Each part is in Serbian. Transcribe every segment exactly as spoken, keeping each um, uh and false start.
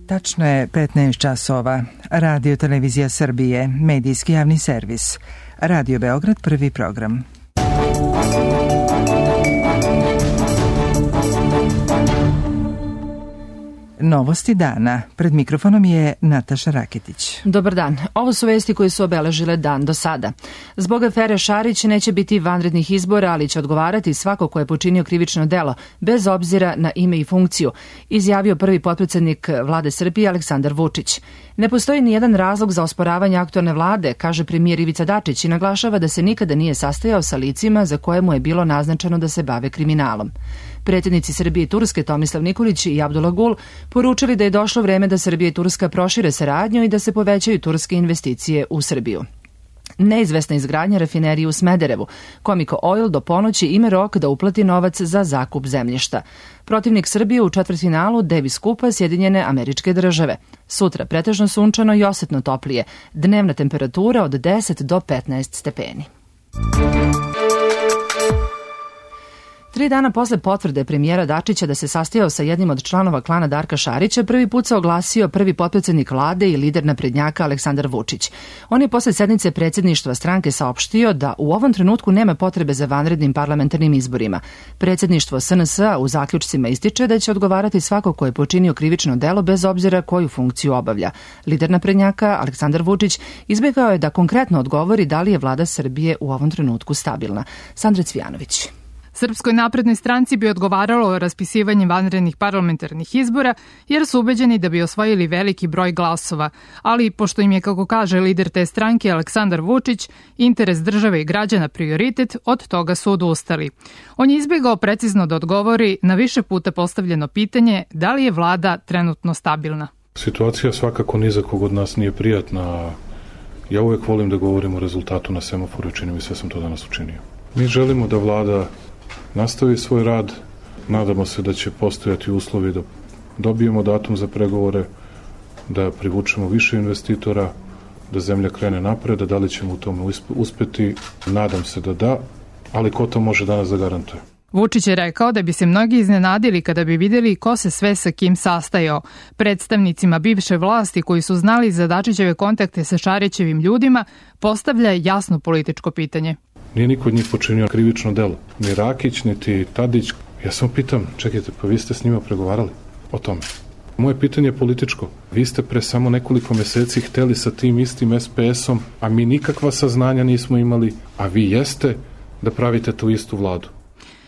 Tačno je petnaest časova. Radio Televizija Srbije, medijski javni servis. Radio Beograd, prvi program. Novosti dana. Pred mikrofonom je Nataša Raketić. Dobar dan. Ovo su vesti koje su obeležile dan do sada. Zbog afere Šarić neće biti vanrednih izbora, ali će odgovarati svako ko je počinio krivično delo, bez obzira na ime i funkciju, izjavio prvi potpredsednik vlade Srbije Aleksandar Vučić. Ne postoji ni jedan razlog za osporavanje aktualne vlade, kaže premijer Ivica Dačić i naglašava da se nikada nije sastajao sa licima za koje mu je bilo naznačeno da se bave kriminalom. Predsjednici Srbije i Turske Tomislav Nikolić i Abdullah Gul poručili da je došlo vreme da Srbija i Turska prošire saradnju i da se povećaju turske investicije u Srbiju. Neizvesna izgradnja rafinerije u Smederevu. Comico Oil do ponoći ima rok da uplati novac za zakup zemljišta. Protivnik Srbije u četvrtfinalu Davis Kupa Sjedinjene Američke Države. Sutra pretežno sunčano i osetno toplije. Dnevna temperatura od deset do petnaest stepeni. Tri dana posle potvrde premijera Dačića da se sastajao sa jednim od članova klana Darka Šarića, prvi put se oglasio prvi potpredsednik vlade i lider naprednjaka Aleksandar Vučić. On je posle sednice predsjedništva stranke saopštio da u ovom trenutku nema potrebe za vanrednim parlamentarnim izborima. Predsjedništvo S N S-a u zaključcima ističe da će odgovarati svako ko je počinio krivično delo bez obzira koju funkciju obavlja. Lider naprednjaka Aleksandar Vučić izbjegao je da konkretno odgovori da li je vlada Srbije u ovom trenutku stabilna. Sandra Cvijanović. Srpskoj naprednoj stranci bi odgovaralo raspisivanje vanrednih parlamentarnih izbora, jer su ubeđeni da bi osvojili veliki broj glasova, ali pošto im je, kako kaže lider te stranke Aleksandar Vučić, interes države i građana prioritet, od toga su odustali. On je izbjegao precizno da odgovori na više puta postavljeno pitanje da li je vlada trenutno stabilna. Situacija svakako ni za kog od nas nije prijatna. Ja uvek volim da govorim o rezultatu na semaforu i činim i sve sam to danas učinio. Mi želimo da vlada nastavi svoj rad, nadamo se da će postojati uslovi da dobijemo datum za pregovore, da privučemo više investitora, da zemlja krene napred, da li ćemo u tome uspeti, nadam se da da, ali ko to može danas da garantuje? Vučić je rekao da bi se mnogi iznenadili kada bi vidjeli ko se sve sa kim sastajao. Predstavnicima bivše vlasti koji su znali za Dačićeve kontakte sa Šarićevim ljudima postavlja jasno političko pitanje. Nije niko od njih počinio krivično delo. Ni Rakić, niti Tadić. Ja samo pitam, čekajte, pa vi ste s njima pregovarali o tome. Moje pitanje je političko. Vi ste pre samo nekoliko meseci hteli sa tim istim S P S-om, a mi nikakva saznanja nismo imali, a vi jeste da pravite tu istu vladu.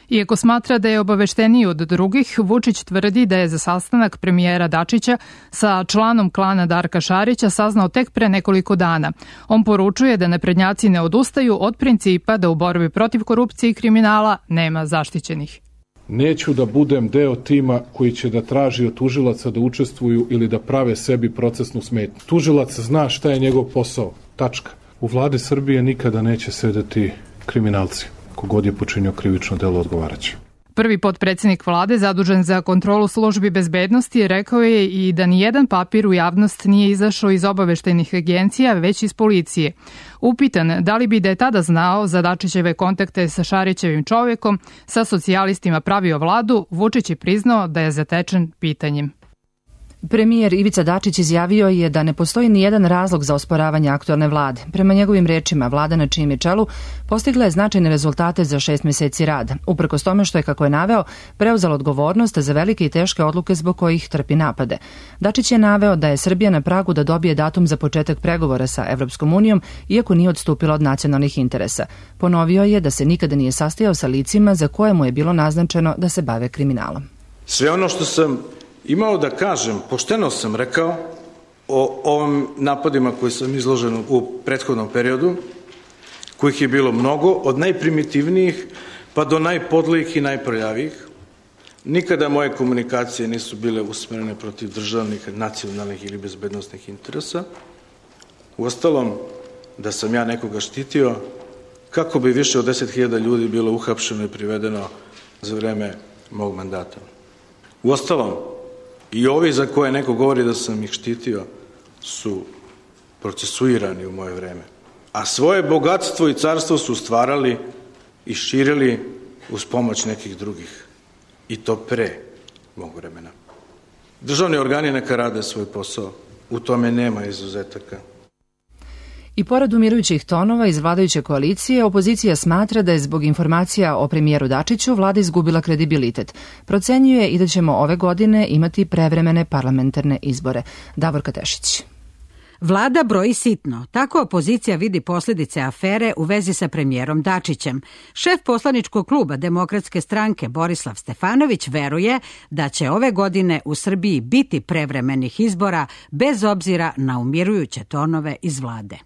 Iako smatra da je obavešteniji od drugih, Vučić tvrdi da je za sastanak premijera Dačića sa članom klana Darka Šarića saznao tek pre nekoliko dana. On poručuje da naprednjaci ne odustaju od principa da u borbi protiv korupcije i kriminala nema zaštićenih. Neću da budem deo tima koji će da traži od tužilaca da učestvuju ili da prave sebi procesnu smetnju. Tužilac zna šta je njegov posao. Tačka. U vladi Srbije nikada neće sedeti kriminalci. Kogod je počinio krivično delo, odgovaraće. Prvi potpredsjednik vlade zadužen za kontrolu službi bezbednosti rekao je i da nijedan papir u javnost nije izašao iz obaveštajnih agencija, već iz policije. Upitan da li bi da je tada znao za Dačićeve kontakte sa Šarićevim čovjekom, sa socijalistima pravio vladu, Vučić je priznao da je zatečen pitanjem. Premijer Ivica Dačić izjavio je da ne postoji ni jedan razlog za osporavanje aktualne vlade. Prema njegovim rečima, vlada na čijem je čelu postigla je značajne rezultate za šest meseci rada, uprkos tome što je, kako je naveo, preuzela odgovornost za velike i teške odluke zbog kojih trpi napade. Dačić je naveo da je Srbija na pragu da dobije datum za početak pregovora sa Evropskom unijom, iako nije odstupila od nacionalnih interesa. Ponovio je da se nikada nije sastajao sa licima za koje mu je bilo naznačeno da se bave kriminalom. Sve ono što sam imao da kažem, pošteno sam rekao o ovim napadima koji sam izložen u prethodnom periodu, kojih je bilo mnogo, od najprimitivnijih pa do najpodlijih i najprljavijih. Nikada moje komunikacije nisu bile usmjerene protiv državnih, nacionalnih ili bezbednostnih interesa. Uostalom, da sam ja nekoga štitio, kako bi više od deset hiljada ljudi bilo uhapšeno i privedeno za vreme mog mandata. Uostalom, i ovi za koje neko govori da sam ih štitio su procesuirani u moje vreme. A svoje bogatstvo i carstvo su stvarali i širili uz pomoć nekih drugih. I to pre mog vremena. Državni organi neka rade svoj posao. U tome nema izuzetaka. I pored umirujućih tonova iz vladajuće koalicije, opozicija smatra da je zbog informacija o premijeru Dačiću vlada izgubila kredibilitet. Procenjuje i da ćemo ove godine imati prevremene parlamentarne izbore. Davorka Tešić. Vlada broji sitno. Tako opozicija vidi posljedice afere u vezi sa premijerom Dačićem. Šef poslaničkog kluba Demokratske stranke Borislav Stefanović veruje da će ove godine u Srbiji biti prevremenih izbora bez obzira na umirujuće tonove iz vlade.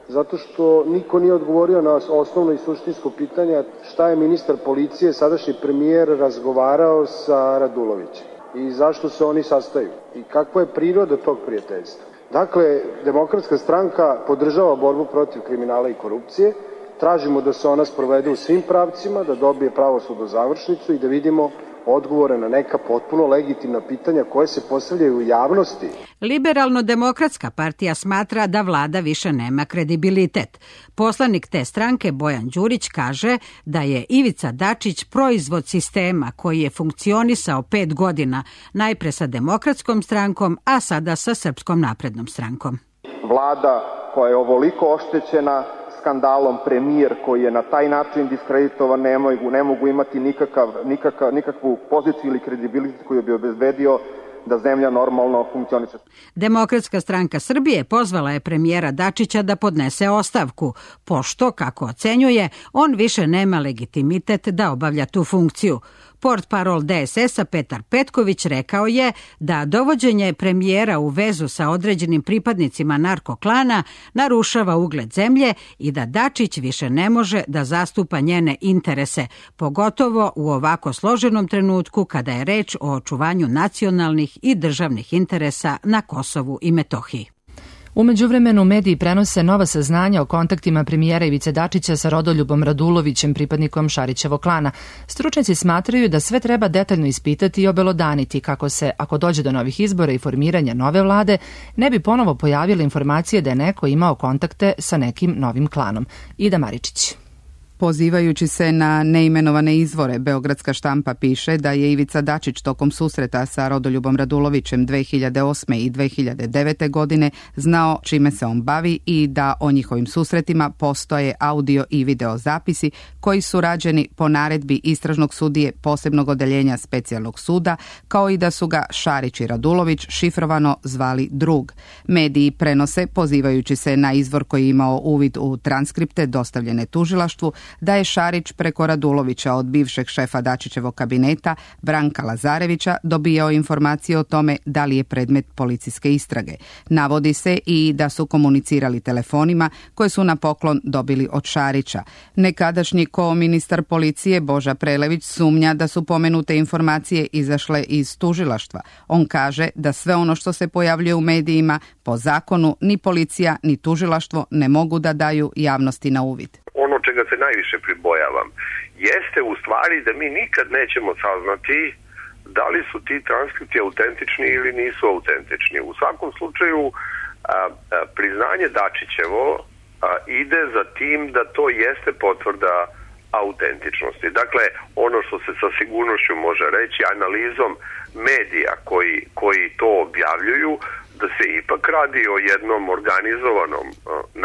Zato što niko nije odgovorio na osnovno i suštinsko pitanje šta je ministar policije, sadašnji premijer, razgovarao sa Radulovićem i zašto se oni sastaju i kakva je priroda tog prijateljstva. Dakle, Demokratska stranka podržava borbu protiv kriminala i korupcije, tražimo da se ona sprovede u svim pravcima, da dobije pravosudnu završnicu i da vidimo odgovore na neka potpuno legitimna pitanja koje se postavljaju u javnosti. Liberalno-demokratska partija smatra da vlada više nema kredibilitet. Poslanik te stranke Bojan Đurić kaže da je Ivica Dačić proizvod sistema koji je funkcionisao pet godina, najpre sa Demokratskom strankom, a sada sa Srpskom naprednom strankom. Vlada koja je ovoliko oštećena skandalom, premijer koji je na taj način diskreditovan, ne mogu, ne mogu imati nikakav, nikakav, nikakvu poziciju ili kredibilitet koji bi obezbedio da zemlja normalno funkcioniše. Demokratska stranka Srbije pozvala je premijera Dačića da podnese ostavku, pošto, kako ocenjuje, on više nema legitimitet da obavlja tu funkciju. Portparol D S S-a Petar Petković rekao je da dovođenje premijera u vezu sa određenim pripadnicima narkoklana narušava ugled zemlje i da Dačić više ne može da zastupa njene interese, pogotovo u ovako složenom trenutku kada je reč o očuvanju nacionalnih i državnih interesa na Kosovu i Metohiji. U međuvremenu mediji prenose nova saznanja o kontaktima premijera Ivice Dačića sa Rodoljubom Radulovićem, pripadnikom Šarićevog klana. Stručnjaci smatraju da sve treba detaljno ispitati i obelodaniti kako se, ako dođe do novih izbora i formiranja nove vlade, ne bi ponovo pojavile informacije da je neko imao kontakte sa nekim novim klanom. Ida Maričić. Pozivajući se na neimenovane izvore, Beogradska štampa piše da je Ivica Dačić tokom susreta sa Rodoljubom Radulovićem dve hiljade osme i dve hiljade devete. godine znao čime se on bavi i da o njihovim susretima postoje audio i video zapisi koji su rađeni po naredbi istražnog sudije posebnog odeljenja specijalnog suda, kao i da su ga Šarić i Radulović šifrovano zvali drug. Mediji prenose, pozivajući se na izvor koji je imao uvid u transkripte dostavljene tužilaštvu, da je Šarić preko Radulovića od bivšeg šefa Dačićevog kabineta Branka Lazarevića dobijao informacije o tome da li je predmet policijske istrage. Navodi se i da su komunicirali telefonima koje su na poklon dobili od Šarića. Nekadašnji ko-ministar policije Boža Prelević sumnja da su pomenute informacije izašle iz tužilaštva. On kaže da sve ono što se pojavljuje u medijima po zakonu ni policija ni tužilaštvo ne mogu da daju javnosti na uvid. Ono čega se najviše pribojavam jeste u stvari da mi nikad nećemo saznati da li su ti transkripti autentični ili nisu autentični. U svakom slučaju a, a, priznanje Dačićevo a, ide za tim da to jeste potvrda autentičnosti. Dakle, ono što se sa sigurnošću može reći analizom medija koji, koji to objavljuju, da se ipak radi o jednom organizovanom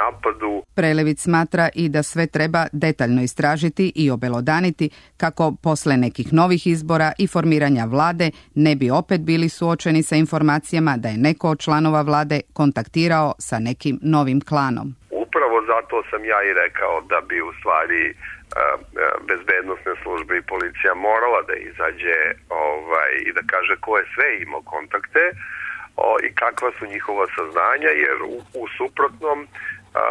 napadu. Prelević smatra i da sve treba detaljno istražiti i obelodaniti kako posle nekih novih izbora i formiranja vlade ne bi opet bili suočeni sa informacijama da je neko od članova vlade kontaktirao sa nekim novim klanom. Upravo zato sam ja i rekao da bi u stvari bezbednosne službe i policija morala da izađe ovaj, i da kaže ko je sve imao kontakte o, i kakva su njihova saznanja, jer u, u suprotnom a,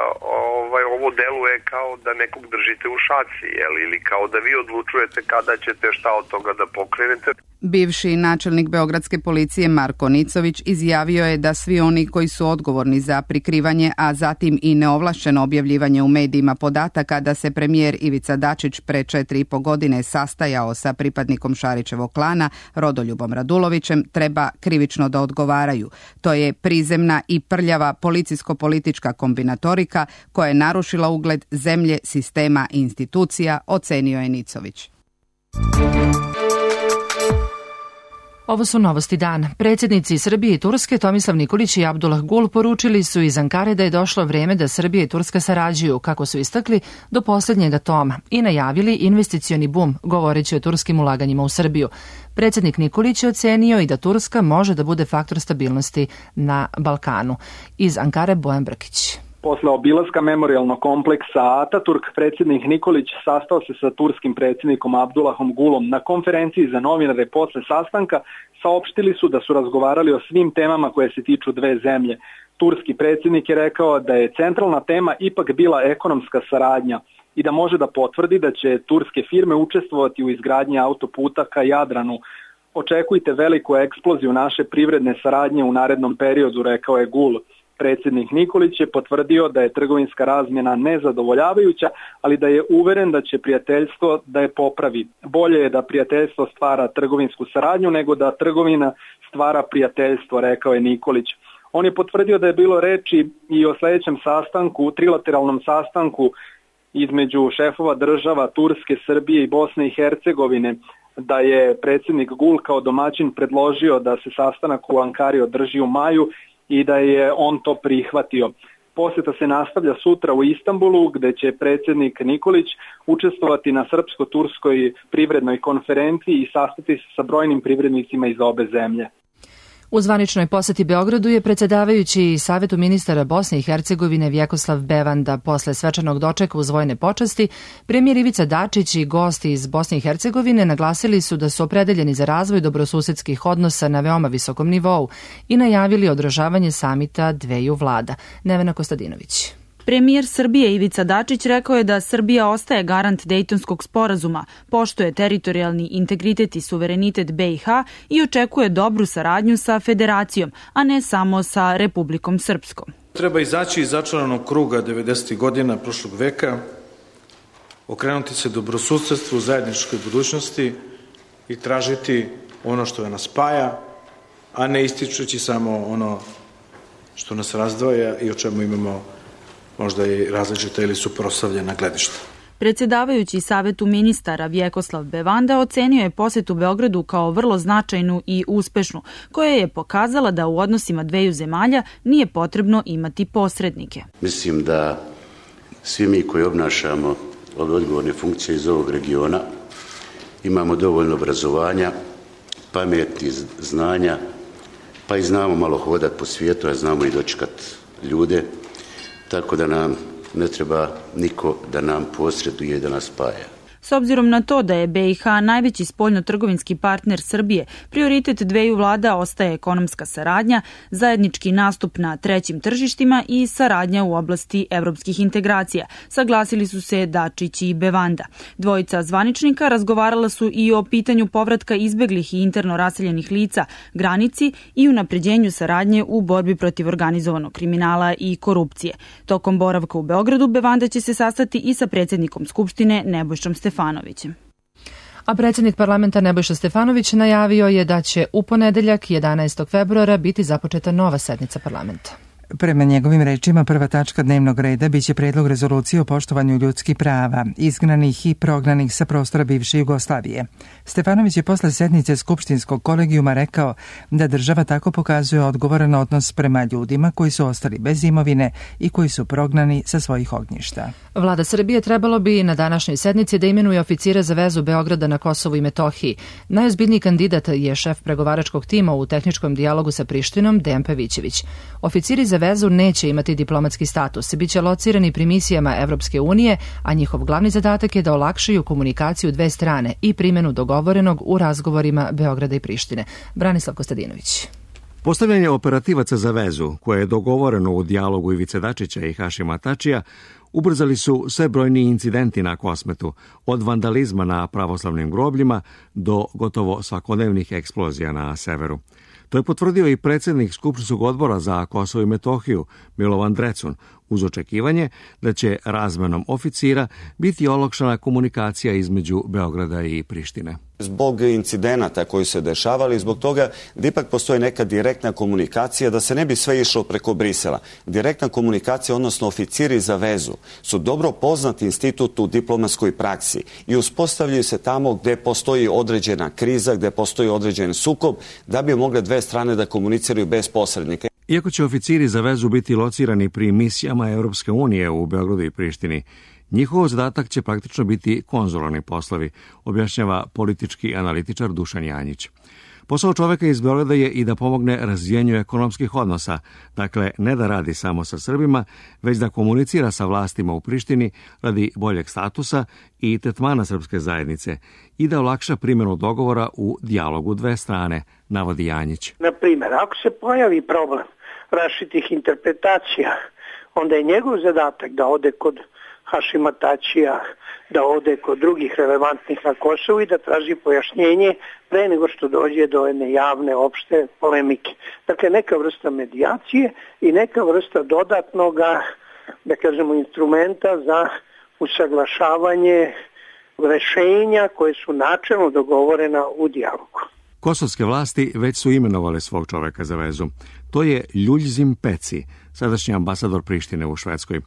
ovaj, ovo deluje kao da nekog držite u šaci, jel, ili kao da vi odlučujete kada ćete šta od toga da pokrenete. Bivši načelnik beogradske policije Marko Nicović izjavio je da svi oni koji su odgovorni za prikrivanje, a zatim i neovlašćeno objavljivanje u medijima podataka da se premijer Ivica Dačić pre četiri i po godine sastajao sa pripadnikom Šarićevog klana Rodoljubom Radulovićem, treba krivično da odgovaraju. To je prizemna i prljava policijsko-politička kombinatorika koja je narušila ugled zemlje, sistema i institucija, ocenio je Nicović. Ovo su novosti dana. Predsjednici Srbije i Turske Tomislav Nikolić i Abdullah Gul poručili su iz Ankare da je došlo vreme da Srbija i Turska sarađuju, kako su istakli, do posljednjega toma i najavili investicioni bum, govoreći o turskim ulaganjima u Srbiju. Predsjednik Nikolić je ocenio i da Turska može da bude faktor stabilnosti na Balkanu. Iz Ankare Bojan Brkić. Posle obilaska memorijalnog kompleksa Ataturk, predsjednik Nikolić sastao se sa turskim predsjednikom Abdullahom Gulom. Na konferenciji za novinare posle sastanka saopštili su da su razgovarali o svim temama koje se tiču dve zemlje. Turski predsjednik je rekao da je centralna tema ipak bila ekonomska saradnja i da može da potvrdi da će turske firme učestvovati u izgradnji autoputa ka Jadranu. Očekujte veliku eksploziju naše privredne saradnje u narednom periodu, rekao je Gul. Predsjednik Nikolić je potvrdio da je trgovinska razmjena nezadovoljavajuća, ali da je uveren da će prijateljstvo da je popravi. Bolje je da prijateljstvo stvara trgovinsku saradnju nego da trgovina stvara prijateljstvo, rekao je Nikolić. On je potvrdio da je bilo reči i o sljedećem sastanku, trilateralnom sastanku između šefova država Turske, Srbije i Bosne i Hercegovine, da je predsjednik Gul kao domaćin predložio da se sastanak u Ankari održi u maju i da je on to prihvatio. Posjeta se nastavlja sutra u Istanbulu, gde će predsjednik Nikolić učestvovati na srpsko-turskoj privrednoj konferenciji i sastati se sa brojnim privrednicima iz obe zemlje. U zvaničnoj poseti Beogradu je predsjedavajući Savetu ministara Bosne i Hercegovine Vjekoslav Bevanda. Posle svečanog dočeka uz vojne počasti, premijer Ivica Dačić i gosti iz Bosne i Hercegovine naglasili su da su opredeljeni za razvoj dobrosusedskih odnosa na veoma visokom nivou i najavili održavanje samita dveju vlada. Nevena Kostadinović. Premijer Srbije Ivica Dačić rekao je da Srbija ostaje garant Dejtonskog sporazuma, poštuje teritorijalni integritet i suverenitet B i H i očekuje dobru saradnju sa Federacijom, a ne samo sa Republikom Srpskom. Treba izaći iz začaranog kruga devedesetih godina prošlog veka, okrenuti se dobrosusedstvu, zajedničkoj budućnosti i tražiti ono što nas spaja, a ne ističući samo ono što nas razdvaja i o čemu imamo možda i različita ili suprotstavljena gledišta. Predsjedavajući Savetu ministara Vjekoslav Bevanda ocenio je posjetu Beogradu kao vrlo značajnu i uspešnu, koja je pokazala da u odnosima dveju zemalja nije potrebno imati posrednike. Mislim da svi mi koji obnašamo ove odgovorne funkcije iz ovog regiona imamo dovoljno obrazovanja, pameti, znanja, pa i znamo malo hodati po svijetu, a znamo i dočekati ljude. Tako da nam ne treba niko da nam posreduje i da nas spaja. S obzirom na to da je B i H najveći spoljno-trgovinski partner Srbije, prioritet dveju vlada ostaje ekonomska saradnja, zajednički nastup na trećim tržištima i saradnja u oblasti evropskih integracija, saglasili su se Dačić i Bevanda. Dvojica zvaničnika razgovarala su i o pitanju povratka izbeglih i interno raseljenih lica, granici i unapređenju saradnje u borbi protiv organizovanog kriminala i korupcije. Tokom boravka u Beogradu, Bevanda će se sastati i sa predsjednikom Skupštine Nebojšom Stefanovićem. A predsjednik parlamenta Nebojša Stefanović najavio je da će u ponedeljak jedanaestog februara biti započeta nova sednica parlamenta. Prema njegovim rečima, prva tačka dnevnog reda biće predlog rezolucije o poštovanju ljudskih prava, izgnanih i prognanih sa prostora bivše Jugoslavije. Stefanović je posle sednice Skupštinskog kolegijuma rekao da država tako pokazuje odgovoran odnos prema ljudima koji su ostali bez imovine i koji su prognani sa svojih ognjišta. Vlada Srbije trebalo bi na današnjoj sednici da imenuje oficire za vezu Beograda na Kosovu i Metohiji. Najozbiljniji kandidat je šef pregovaračkog tima u tehničkom dijalogu sa Prištinom, Dejan Pavićević. Oficiri za vezu neće imati diplomatski status, biće locirani pri misijama Evropske unije, a njihov glavni zadatak je da olakšaju komunikaciju dve strane i primjenu dogovorenog u razgovorima Beograda i Prištine. Branislav Kostadinović. Postavljanje operativaca za vezu, koje je dogovoreno u dijalogu Ivice Dačića i Hašima Tačija, ubrzali su sve brojni incidenti na Kosmetu, od vandalizma na pravoslavnim grobljima do gotovo svakodnevnih eksplozija na severu. To je potvrdio i predsjednik Skupštinskog odbora za Kosovo i Metohiju, Milovan Drecun, uz očekivanje da će razmenom oficira biti olakšana komunikacija između Beograda i Prištine. Zbog incidenata koji se dešavali, zbog toga da ipak postoji neka direktna komunikacija, da se ne bi sve išlo preko Brisela. Direktna komunikacija, odnosno oficiri za vezu, su dobro poznati institut u diplomatskoj praksi i uspostavljaju se tamo gde postoji određena kriza, gde postoji određen sukob, da bi mogle dve strane da komuniciraju bez posrednika. Iako će oficiri za vezu biti locirani pri misijama Europske unije u Beogradu i Prištini, njihov zadatak će praktično biti konzularni poslovi, objašnjava politički analitičar Dušan Janjić. Posao čoveka iz Beograda je i da pomogne razvijenju ekonomskih odnosa, dakle ne da radi samo sa Srbima, već da komunicira sa vlastima u Prištini radi boljeg statusa i tretmana srpske zajednice i da olakša primjenu dogovora u dijalogu dve strane, navodi Janjić. Na primjer, ako se pojavi problem različitih interpretacija, onda je njegov zadatak da ode kod Hašima Tačija, da ode kod drugih relevantnih na Kosovu i da traži pojašnjenje pre nego što dođe do jedne javne, opšte polemike. Dakle, neka vrsta medijacije i neka vrsta dodatnog, da kažemo, instrumenta za usaglašavanje rešenja koje su načelno dogovorena u dijalogu. Kosovske vlasti već su imenovale svog čoveka za vezu. To je Ljuljzim Peci, sadašnji ambasador Prištine u Švedskoj.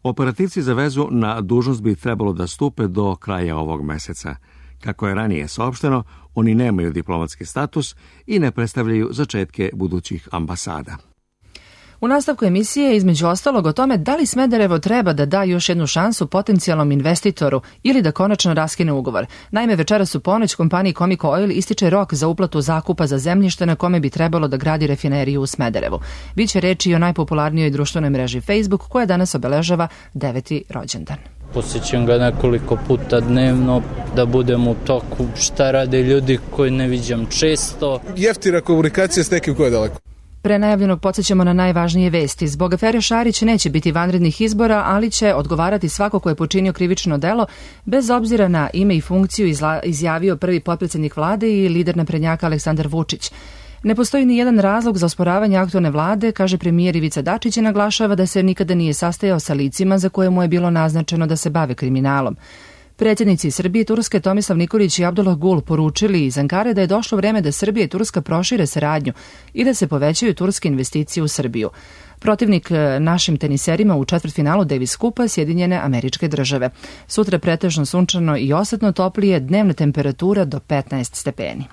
Operativci za vezu na dužnost bi trebalo da stupe do kraja ovog meseca. Kako je ranije saopšteno, oni nemaju diplomatski status i ne predstavljaju začetke budućih ambasada. U nastavku emisije između ostalog o tome da li Smederevo treba da da još jednu šansu potencijalnom investitoru ili da konačno raskine ugovor. Naime, večeras u ponoć kompaniji Comico Oil ističe rok za uplatu zakupa za zemljište na kome bi trebalo da gradi rafineriju u Smederevu. Biće reči i o najpopularnijoj društvenoj mreži Facebook koja danas obeležava deveti rođendan. Posjećam ga nekoliko puta dnevno da budem u toku šta rade ljudi koji ne viđam često. Jeftina komunikacija s nekim ko je daleko. Pre najavljenog podsjećamo na najvažnije vesti. Zbog afere Šarić neće biti vanrednih izbora, ali će odgovarati svako ko je počinio krivično delo, bez obzira na ime i funkciju, izjavio prvi potpredsjednik vlade i lider naprednjaka Aleksandar Vučić. Ne postoji ni jedan razlog za osporavanje aktualne vlade, kaže premijer Ivica Dačić i naglašava da se nikada nije sastajao sa licima za koje mu je bilo naznačeno da se bave kriminalom. Predsjednici Srbije i Turske Tomislav Nikolić i Abdullah Gul poručili iz Ankare da je došlo vreme da Srbija i Turska prošire saradnju i da se povećaju turske investicije u Srbiju. Protivnik našim teniserima u četvrtfinalu Davis Kupa Sjedinjene Američke Države. Sutra pretežno sunčano i osetno toplije, dnevna temperatura do petnaest stepeni.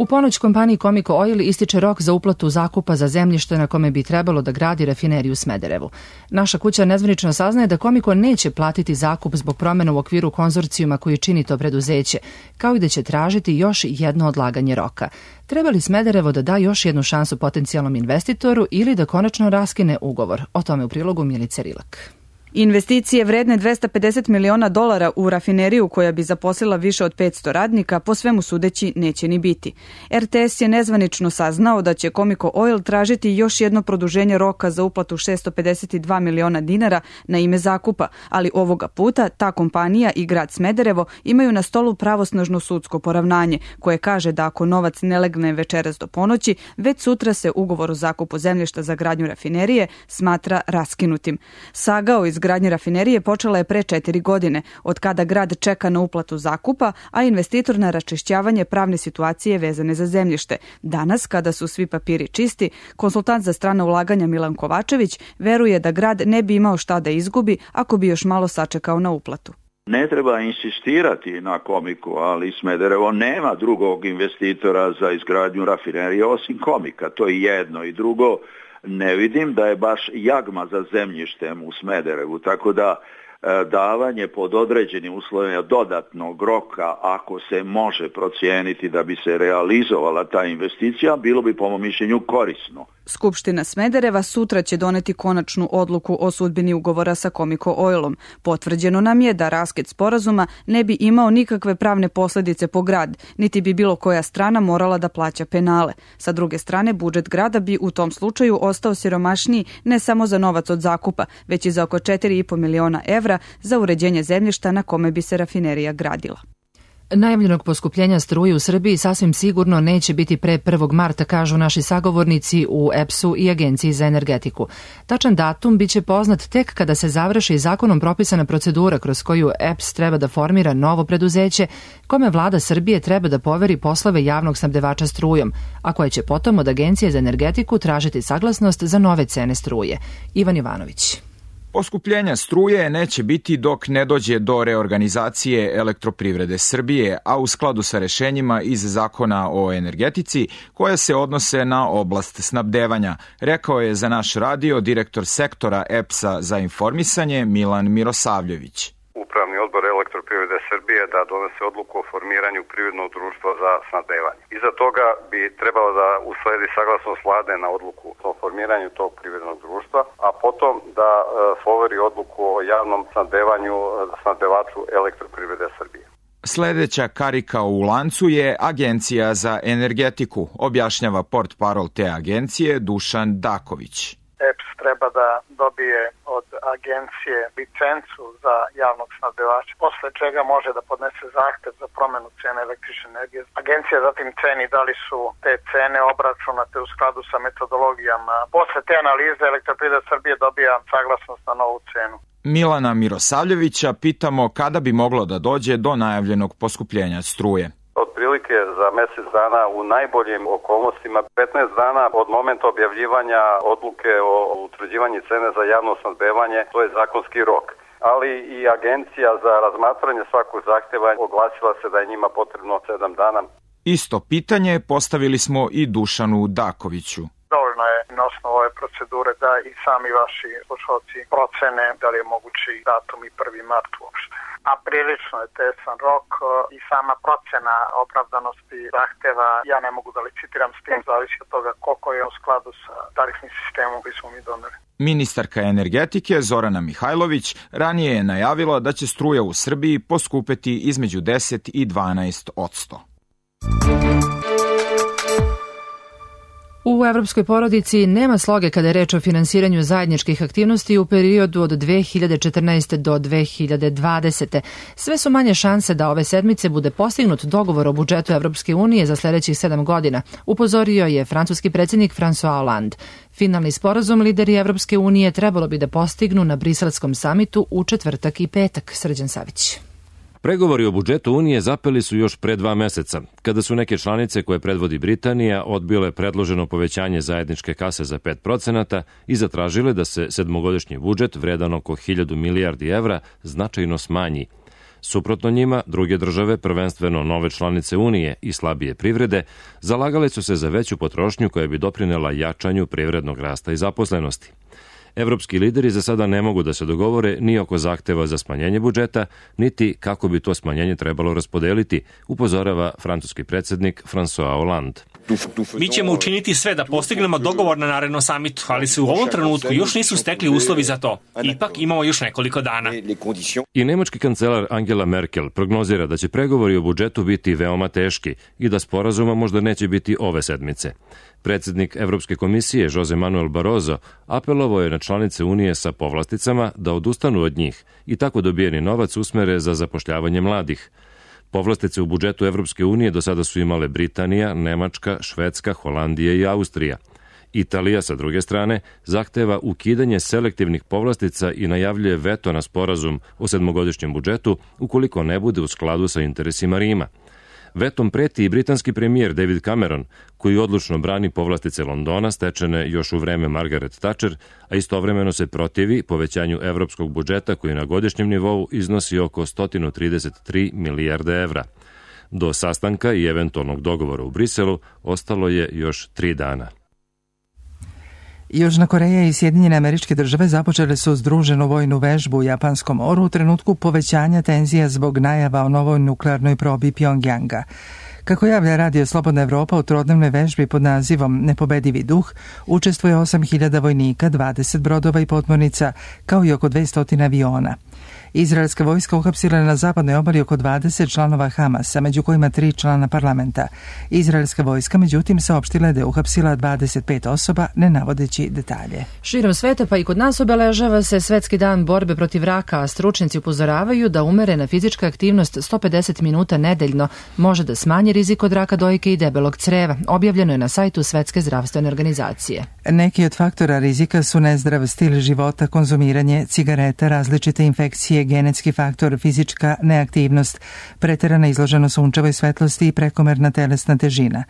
U ponoć kompaniji Comico Oil ističe rok za uplatu zakupa za zemljište na kome bi trebalo da gradi rafineriju u Smederevu. Naša kuća nezvanično saznaje da Comico neće platiti zakup zbog promjena u okviru konzorcijuma koji čini to preduzeće, kao i da će tražiti još jedno odlaganje roka. Treba li Smederevo da da još jednu šansu potencijalnom investitoru ili da konačno raskine ugovor? O tome u prilogu Milice Rilak. Investicije vredne dvesta pedeset miliona dolara u rafineriju koja bi zaposlila više od petsto radnika po svemu sudeći neće ni biti. er te es je nezvanično saznao da će Comico Oil tražiti još jedno produženje roka za uplatu šessto pedeset dva miliona dinara na ime zakupa, ali ovoga puta ta kompanija i grad Smederevo imaju na stolu pravosnažno sudsko poravnanje koje kaže da ako novac ne legne večeras do ponoći, već sutra se ugovor o zakupu zemljišta za gradnju rafinerije smatra raskinutim. Saga o izgradnje rafinerije počela je pre četiri godine, od kada grad čeka na uplatu zakupa, a investitor na raščišćavanje pravne situacije vezane za zemljište. Danas, kada su svi papiri čisti, konsultant za strana ulaganja Milan Kovačević veruje da grad ne bi imao šta da izgubi ako bi još malo sačekao na uplatu. Ne treba insistirati na Comicu, ali Smederevo nema drugog investitora za izgradnju rafinerije osim Comika. To je jedno. I drugo, ne vidim da je baš jagma za zemljištem u Smederevu, tako da e, davanje pod određenim uslovima dodatnog roka, ako se može procijeniti da bi se realizovala ta investicija, bilo bi po mom mišljenju korisno. Skupština Smedereva sutra će doneti konačnu odluku o sudbini ugovora sa Comico Oilom. Potvrđeno nam je da raskid sporazuma ne bi imao nikakve pravne posljedice po grad, niti bi bilo koja strana morala da plaća penale. Sa druge strane, budžet grada bi u tom slučaju ostao siromašniji ne samo za novac od zakupa, već i za oko četiri i po miliona evra za uređenje zemljišta na kome bi se rafinerija gradila. Najavljenog poskupljenja struje u Srbiji sasvim sigurno neće biti pre prvog marta, kažu naši sagovornici u E P S-u i Agenciji za energetiku. Tačan datum biće poznat tek kada se završi zakonom propisana procedura kroz koju E P S treba da formira novo preduzeće kome vlada Srbije treba da poveri poslove javnog snabdevača strujom, a koje će potom od Agencije za energetiku tražiti saglasnost za nove cene struje. Ivan Ivanović. Poskupljenja struje neće biti dok ne dođe do reorganizacije Elektroprivrede Srbije, a u skladu sa rešenjima iz Zakona o energetici koje se odnose na oblast snabdevanja, rekao je za naš radio direktor sektora E P S-a za informisanje Milan Mirosavljević. Upravni odbor Elektroprivrede Srbije da donese odluku o formiranju privrednog društva za snabdevanje. Iza toga bi trebalo da usledi saglasnost vlade na odluku o formiranju tog privrednog društva, a potom da e, poveri odluku o javnom snabdevanju snabdevaču Elektroprivrede Srbije. Sledeća karika u lancu je Agencija za energetiku, objašnjava portparol te agencije Dušan Daković. E P S treba da dobije od agencije licencu za javnog snabdevača, posle čega može da podnese zahtev za promenu cene električne energije. Agencija zatim ceni da li su te cene obračunate u skladu sa metodologijama. Posle te analize Elektroprivreda Srbije dobija saglasnost na novu cenu. Milana Mirosavljevića pitamo kada bi moglo da dođe do najavljenog poskupljenja struje. Otprilike za mesec dana u najboljim okolnostima, petnaest dana od momenta objavljivanja odluke o utvrđivanju cene za javno snabdevanje, to je zakonski rok. Ali i Agencija za razmatranje svakog zahteva oglasila se da je njima potrebno sedam dana. Isto pitanje postavili smo i Dušanu Dakoviću. Dovoljno je na osnovu ove procedure da i sami vaši slušalci procene da li je mogući datum i prvi mart uopšte. A prilično je tesan rok i sama procena opravdanosti zahteva, ja ne mogu da licitiram s tim, zavisi od toga koliko je u skladu sa tarifnim sistemom koji smo mi doneli. Ministarka energetike Zorana Mihajlović ranije je najavila da će struja u Srbiji poskupeti između deset i dvanaest odsto. U evropskoj porodici nema sloge kada je reč o finansiranju zajedničkih aktivnosti u periodu od dve hiljade četrnaeste. do dve hiljade dvadesete. Sve su manje šanse da ove sedmice bude postignut dogovor o budžetu Evropske unije za sledećih sedam godina, upozorio je francuski predsjednik François Hollande. Finalni sporazum lideri Evropske unije trebalo bi da postignu na briselskom samitu u četvrtak i petak. Srđan Savić. Pregovori o budžetu Unije zapeli su još pre dva meseca, kada su neke članice koje predvodi Britanija odbile predloženo povećanje zajedničke kase za pet procenata i zatražile da se sedmogodišnji budžet vredan oko hiljadu milijardi evra značajno smanji. Suprotno njima, druge države, prvenstveno nove članice Unije i slabije privrede, zalagale su se za veću potrošnju koja bi doprinela jačanju privrednog rasta i zaposlenosti. Evropski lideri za sada ne mogu da se dogovore ni oko zahteva za smanjenje budžeta, niti kako bi to smanjenje trebalo raspodeliti, upozorava francuski predsjednik François Hollande. Mi ćemo učiniti sve da postignemo dogovor na narednom samitu, ali se u ovom trenutku još nisu stekli uslovi za to. Ipak imamo još nekoliko dana. I nemački kancelar Angela Merkel prognozira da će pregovori o budžetu biti veoma teški i da sporazuma možda neće biti ove sedmice. Predsjednik Evropske komisije Jose Manuel Barroso apelovao je na članice Unije sa povlasticama da odustanu od njih i tako dobijeni novac usmere za zapošljavanje mladih. Povlastice u budžetu Evropske unije do sada su imale Britanija, Nemačka, Švedska, Holandija i Austrija. Italija, sa druge strane, zahteva ukidanje selektivnih povlastica i najavljuje veto na sporazum o sedmogodišnjem budžetu ukoliko ne bude u skladu sa interesima Rima. Vetom preti i britanski premijer David Cameron, koji odlučno brani povlastice Londona stečene još u vreme Margaret Thatcher, a istovremeno se protivi povećanju evropskog budžeta koji na godišnjem nivou iznosi oko sto trideset tri milijarde evra. Do sastanka i eventualnog dogovora u Briselu ostalo je još tri dana. Južna Koreja i Sjedinjene Američke Države započele su združenu vojnu vežbu u Japanskom moru u trenutku povećanja tenzija zbog najava o novoj nuklearnoj probi Pjongjanga. Kako javlja Radio Slobodna Evropa, u trodnevnoj vežbi pod nazivom Nepobedivi duh učestvuje osam hiljada vojnika, dvadeset brodova i potmornica, kao i oko dvesta aviona. Izraelska vojska uhapsila na zapadnoj obali oko dvadeset članova Hamasa, među kojima tri člana parlamenta. Izraelska vojska, međutim, saopštila da je uhapsila dvadeset pet osoba, ne navodeći detalje. Širom sveta, pa i kod nas, obeležava se Svetski dan borbe protiv raka, a stručnjaci upozoravaju da umerena fizička aktivnost sto pedeset minuta nedeljno može da smanji rizik od raka dojke i debelog creva. Objavljeno je na sajtu Svetske zdravstvene organizacije. Neki od faktora rizika su nezdrav stil života, konzumiranje cigareta, različite infekcije, genetski faktor, fizička neaktivnost, preterana izloženost sunčevoj svetlosti i prekomerna telesna težina.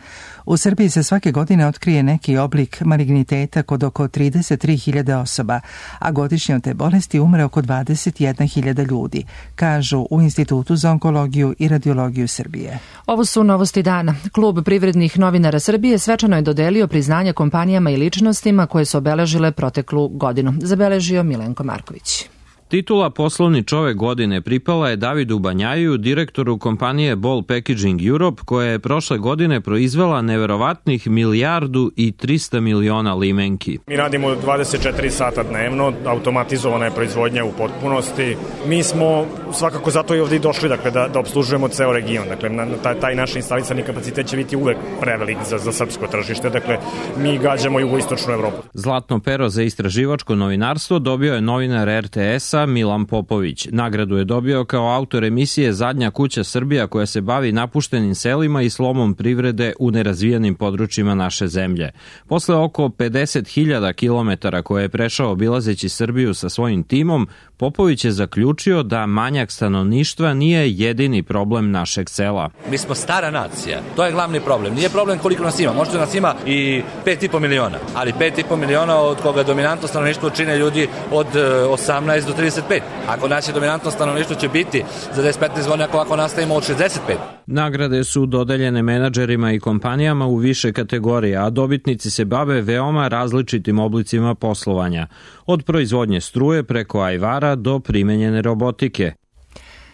U Srbiji se svake godine otkrije neki oblik maligniteta kod oko trideset tri hiljade osoba, a godišnje od te bolesti umre oko dvadeset jedna hiljada ljudi, kažu u Institutu za onkologiju i radiologiju Srbije. Ovo su novosti dana. Klub privrednih novinara Srbije svečano je dodelio priznanja kompanijama i ličnostima koje su obeležile proteklu godinu. Zabeležio Milenko Marković. Titula Poslovni čovek godine pripala je Davidu Banjaju, direktoru kompanije Ball Packaging Europe, koja je prošle godine proizvela neverovatnih milijardu i trista miliona limenki. Mi radimo dvadeset četiri sata dnevno, automatizovana je proizvodnja u potpunosti. Mi smo svakako zato i ovdje došli, dakle, da, da obslužujemo ceo region. Dakle, na, taj, taj naš instalisani kapacitet će biti uvek prevelik za, za srpsko tržište. Dakle, mi gađamo jugoistočnu Evropu. Zlatno pero za istraživačko novinarstvo dobio je novinar er te esa Milan Popović. Nagradu je dobio kao autor emisije Zadnja kuća Srbija, koja se bavi napuštenim selima i slomom privrede u nerazvijenim područjima naše zemlje. Posle oko pedeset hiljada kilometara koje je prešao obilazeći Srbiju sa svojim timom, Popović je zaključio da manjak stanovništva nije jedini problem našeg sela. Mi smo stara nacija, to je glavni problem. Nije problem koliko nas ima, možda nas ima i pet i po miliona, ali pet i po miliona od koga dominantno stanovništvo čine ljudi od osamnaest do trideset pet. Ako naše dominantno stanovništvo će biti za deset do petnaest godina, ako, ako nastavimo od šezdeset pet. Nagrade su dodeljene menadžerima i kompanijama u više kategorija, a dobitnici se bave veoma različitim oblicima poslovanja, od proizvodnje struje preko ajvara do primenjene robotike.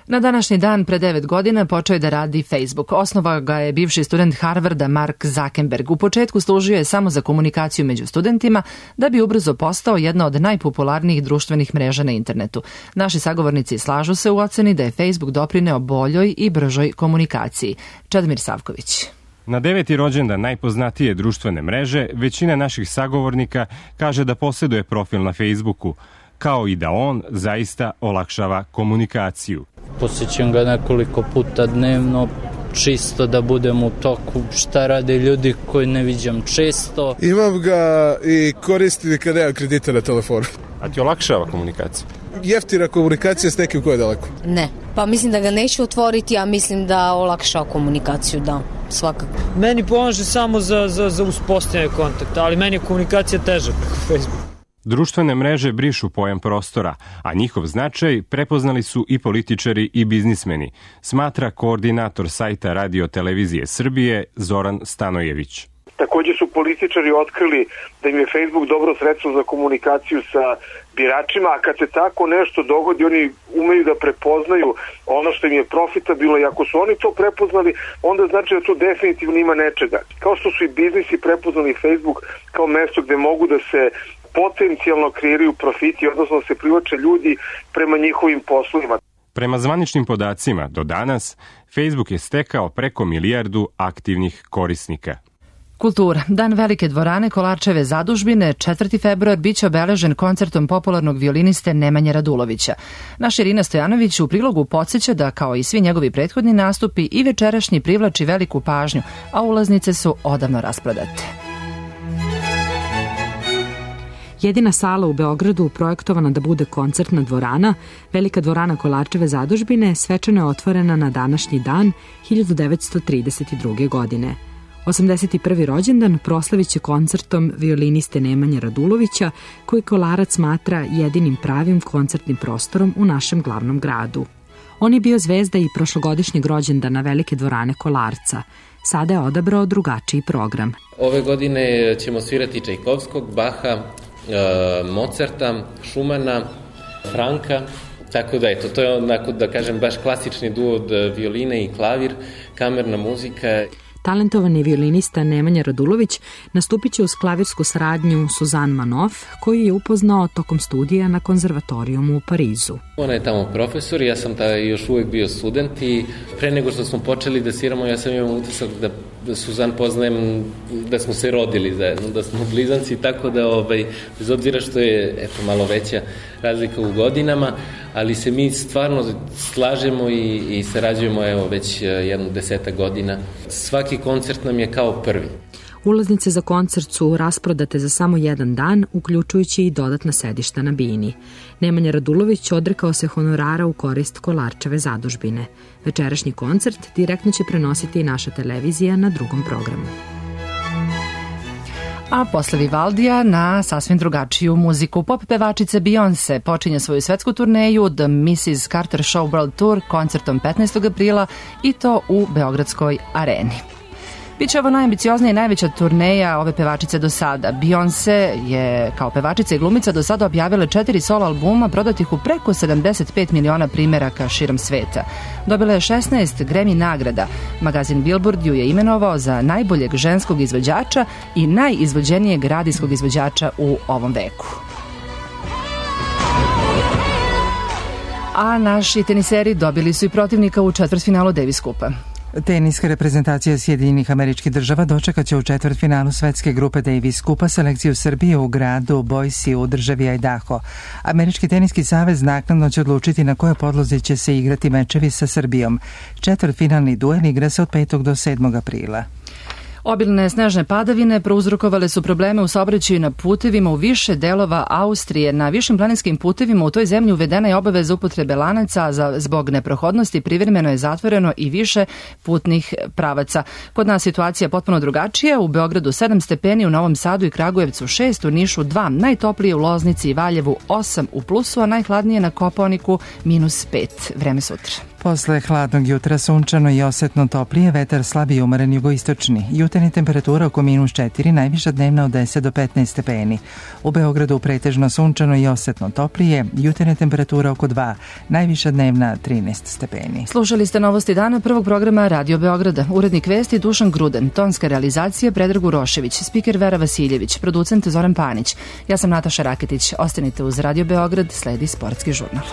Na današnji dan pre devet godina počeo je da radi Facebook. Osnovao ga je bivši student Harvarda Mark Zuckerberg. U početku služio je samo za komunikaciju među studentima, da bi ubrzo postao jedna od najpopularnijih društvenih mreža na internetu. Naši sagovornici slažu se u oceni da je Facebook doprineo boljoj i bržoj komunikaciji. Čedomir Savković. Na deveti rođendan najpoznatije društvene mreže, većina naših sagovornika kaže da posjeduje profil na Facebooku, kao i da on zaista olakšava komunikaciju. Posjećam ga nekoliko puta dnevno, čisto da budem u toku šta rade ljudi koji ne viđam često. Imam ga i koristim kada imam kredita na telefonu. A ti olakšava komunikaciju? Jeftina komunikacija s nekim ko je daleko? Ne, pa mislim da ga neću otvoriti, a mislim da olakšava komunikaciju, da, svakako. Meni pomaže samo za, za, za uspostavljanje kontakta, ali meni je komunikacija teža preko Facebooka. Društvene mreže brišu pojam prostora, a njihov značaj prepoznali su i političari i biznismeni, smatra koordinator sajta Radio Televizije Srbije Zoran Stanojević. Također su političari otkrili da im je Facebook dobro sredstvo za komunikaciju sa biračima, a kad se tako nešto dogodi, oni umeju da prepoznaju ono što im je profitabilno i ako su oni to prepoznali, onda znači da tu definitivno ima nečega. Kao što su i biznisi prepoznali Facebook kao mesto gde mogu da se potencijalno kreiraju profiti, odnosno se privlače ljudi prema njihovim poslovima. Prema zvaničnim podacima, do danas, Facebook je stekao preko milijardu aktivnih korisnika. Kultura. Dan Velike dvorane Kolarčeve zadužbine, četvrti februar, biće obeležen koncertom popularnog violiniste Nemanje Radulovića. Naš Irina Stojanović u prilogu podsjeća da, kao i svi njegovi prethodni nastupi, i večerašnji privlači veliku pažnju, a ulaznice su odavno rasprodate. Jedina sala u Beogradu projektovana da bude koncertna dvorana, Velika dvorana Kolarčeve zadužbine, svečano je otvorena na današnji dan hiljadu devetsto trideset druge. godine. osamdeset prvi rođendan proslavit će koncertom violiniste Nemanje Radulovića, koji Kolarac smatra jedinim pravim koncertnim prostorom u našem glavnom gradu. On je bio zvezda i prošlogodišnjeg rođendana Velike dvorane Kolarca. Sada je odabrao drugačiji program. Ove godine ćemo svirati Čajkovskog, Baha, Mozarta, Šumana, Franka, tako da eto, to je onako, da kažem, baš klasični duo od violine i klavir, kamerna muzika. Talentovani violinista Nemanja Radulović nastupit će uz klavirsku saradnju Suzanne Manoff, koju je upoznao tokom studija na konzervatorijumu u Parizu. Ona je tamo profesor, ja sam ta još uvijek bio student i pre nego što smo počeli da sviramo, ja sam imao utisak da da Suzan poznajem, da smo se rodili zajedno, da smo blizanci, tako da ovaj, bez obzira što je eto, malo veća razlika u godinama, ali se mi stvarno slažemo i, i sarađujemo evo, već jedno desetak godina. Svaki koncert nam je kao prvi. Ulaznice za koncert su rasprodate za samo jedan dan, uključujući i dodatna sedišta na bini. Nemanja Radulović odrekao se honorara u korist Kolarčeve zadužbine. Večerašnji koncert direktno će prenositi i naša televizija na drugom programu. A posle Vivaldija na sasvim drugačiju muziku. Pop pevačice Beyoncé počinje svoju svetsku turneju The missus Carter Show World Tour koncertom petnaestog aprila i to u Beogradskoj areni. Biće ovo najambicioznija i najveća turneja ove pevačice do sada. Beyoncé je kao pevačica i glumica do sada objavila četiri solo albuma prodatih u preko sedamdeset pet miliona primeraka širom sveta. Dobila je šesnaest Grammy nagrada. Magazin Billboard ju je imenovao za najboljeg ženskog izvođača i najizvođenijeg radijskog izvođača u ovom veku. A naši teniseri dobili su i protivnika u četvrtfinalu Davis Kupa. Teniska reprezentacija Sjedinjenih Američkih Država dočekat će u četvrtfinalu svetske grupe Davis Kupa selekciju Srbije u gradu Boise u državi Idaho. Američki teniski savez naknadno će odlučiti na kojoj podlozi će se igrati mečevi sa Srbijom. Četvrtfinalni duel igra se od petog do sedmog aprila. Obilne snežne padavine prouzrokovale su probleme u saobraćaju na putevima u više delova Austrije. Na višim planinskim putevima u toj zemlji uvedena je obaveza upotrebe lanaca, a zbog neprohodnosti privremeno je zatvoreno i više putnih pravaca. Kod nas situacija potpuno drugačija. U Beogradu sedam stepeni, u Novom Sadu i Kragujevcu šest, u Nišu dva, najtoplije u Loznici i Valjevu osam u plusu, a najhladnije na Kopaoniku minus pet. Vreme sutra. Posle hladnog jutra sunčano i osetno toplije, vetar slab i umeren jugoistočni. Jutarnja temperatura oko minus četiri, najviša dnevna od deset do petnaest stepeni. U Beogradu pretežno sunčano i osetno toplije, jutarnja temperatura oko dva, najviša dnevna trinaest stepeni. Slušali ste novosti dana prvog programa Radio Beograda. Urednik vesti Dušan Gruden, tonska realizacija Predrag Urošević, spiker Vera Vasiljević, producent Zoran Panić. Ja sam Nataša Raketić. Ostanite uz Radio Beograd, sledi sportski žurnal.